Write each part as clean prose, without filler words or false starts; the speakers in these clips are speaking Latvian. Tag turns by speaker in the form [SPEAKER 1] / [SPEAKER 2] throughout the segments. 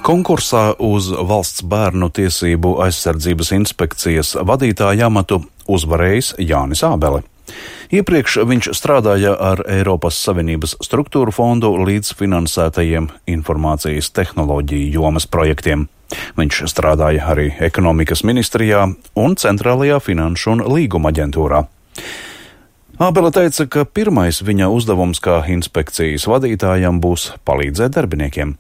[SPEAKER 1] Konkursā uz Valsts bērnu tiesību aizsardzības inspekcijas vadītāja amatu uzvarējis Jānis Ābele. Iepriekš viņš strādāja ar Eiropas Savienības struktūru fondu līdzfinansētajiem informācijas tehnoloģiju jomas projektiem. Viņš strādāja arī ekonomikas ministrijā un Centrālajā finanšu un līguma aģentūrā. Ābele teica, ka pirmais viņa uzdevums kā inspekcijas vadītājam būs palīdzēt darbiniekiem.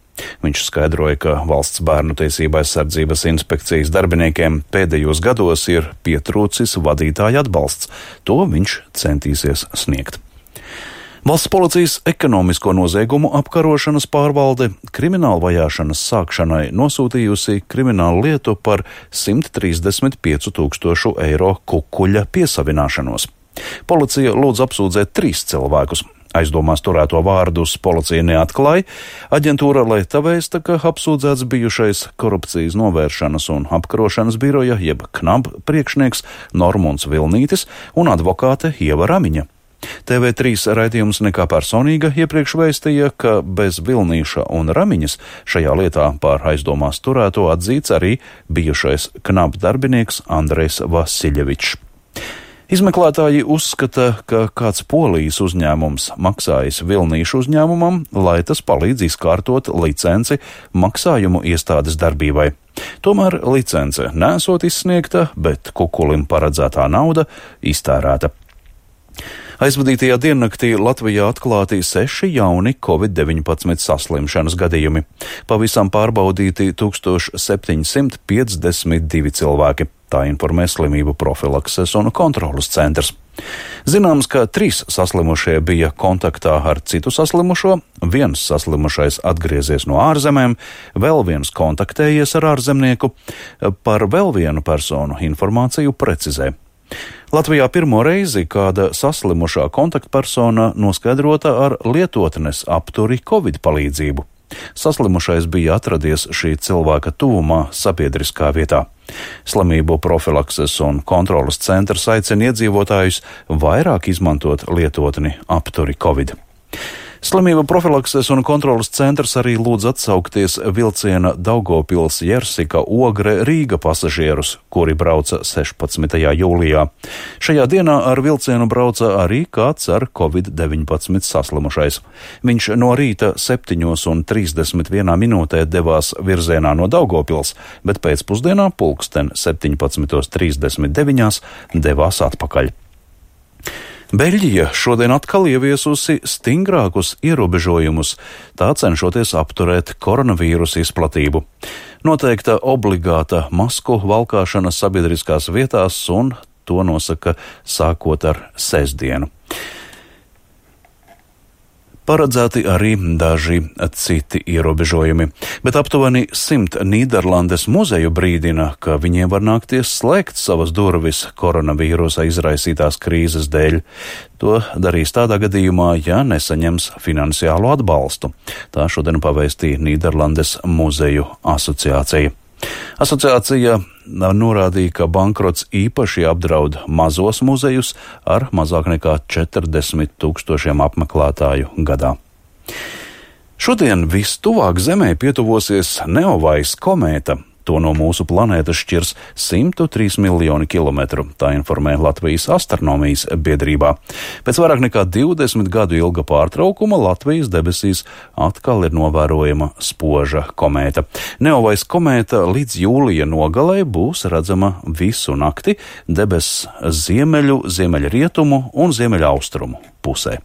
[SPEAKER 1] Viņš skaidroja, ka Valsts bērnu tiesību aizsardzības inspekcijas darbiniekiem pēdējos gados ir pietrūcis vadītāja atbalsts. To viņš centīsies sniegt. Valsts policijas ekonomisko noziegumu apkarošanas pārvalde krimināla vajāšanas sākšanai nosūtījusi kriminālu lietu par 135 000 eiro kukuļa piesavināšanos. Policija lūdz apsūdzēt 3 cilvēkus. Aizdomās turēto vārdus policija neatklāja. Aģentūra Leta vēsta, ka apsūdzēts bijušais korupcijas novēršanas un apkarošanas biroja jeb KNAB priekšnieks Normunds Vilnītis un advokāte Ieva Ramiņa. TV3 raidījums Nekā personīga iepriekš vēstīja, ka bez Vilnīša un Ramiņas šajā lietā par aizdomās turēto atzīts arī bijušais KNAB darbinieks Andrejs Vasiljevičs. Izmeklētāji uzskata, ka kāds Polijas uzņēmums maksājis Vilnīšu uzņēmumam, lai tas palīdz izkārtot licenci maksājumu iestādes darbībai. Tomēr licence nesot izsniegta, bet kukulim paredzētā nauda iztērēta. Aizvadītajā diennaktī Latvijā atklāti 6 jauni Covid-19 saslimšanas gadījumi. Pavisam pārbaudīti 1752 cilvēki. Tā informē Slimību profilakses un kontrolas centrs. Zināms, ka 3 saslimušie bija kontaktā ar citu saslimušo, 1 saslimušais atgriezies no ārzemēm, vēl 1 kontaktējies ar ārzemnieku. Par vēl vienu personu informāciju precizē. Latvijā pirmo reizi kāda saslimušā kontaktpersona noskaidrota ar lietotnes apturi Covid palīdzību. Saslimušais bija atradies šī cilvēka tuvumā sabiedriskā vietā. Slimību profilakses un kontrolas centrs aicina iedzīvotājus vairāk izmantot lietotni apturi Covid. Slimību profilakses un kontrolas centrs arī lūdz atsaukties vilciena Daugavpils-Jersika Ogre Rīga pasažierus, kuri brauca 16. jūlijā. Šajā dienā ar vilcienu brauca arī kāds ar Covid-19 saslimušais. Viņš no rīta 7:31 devās virzienā no Daugavpils, bet pēcpusdienā pulksten 17:39 devās atpakaļ. Beļģija šodien atkal ieviesusi stingrākus ierobežojumus, tā cenšoties apturēt koronavīrusa izplatību. Noteikta obligāta masku valkāšana sabiedriskās vietās, un to nosaka sākot ar sestdienu. Paredzēti arī daži citi ierobežojumi, bet aptuveni 100 Nīderlandes muzeju brīdina, ka viņiem var nākties slēgt savas durvis koronavīrusa izraisītās krīzes dēļ. To darīs tādā gadījumā, ja nesaņems finansiālo atbalstu. Tā šodien pavēstīja Nīderlandes muzeju asociācija. Asociācija norādīja, ka bankrots īpaši apdraud mazos muzejus ar mazāk nekā 40 000 apmeklētāju gadā. Šodien vistuvāk Zemē pietuvosies Neovais komēta. To no mūsu planētas šķirs 103 miljoni kilometru, tā informē Latvijas astronomijas biedrībā. Pēc vairāk nekā 20 gadu ilga pārtraukuma Latvijas debesīs atkal ir novērojama spoža komēta. Neovais komēta līdz jūlija nogalē būs redzama visu nakti debesis ziemeļu, ziemeļrietumu un ziemeļaustrumu pusē.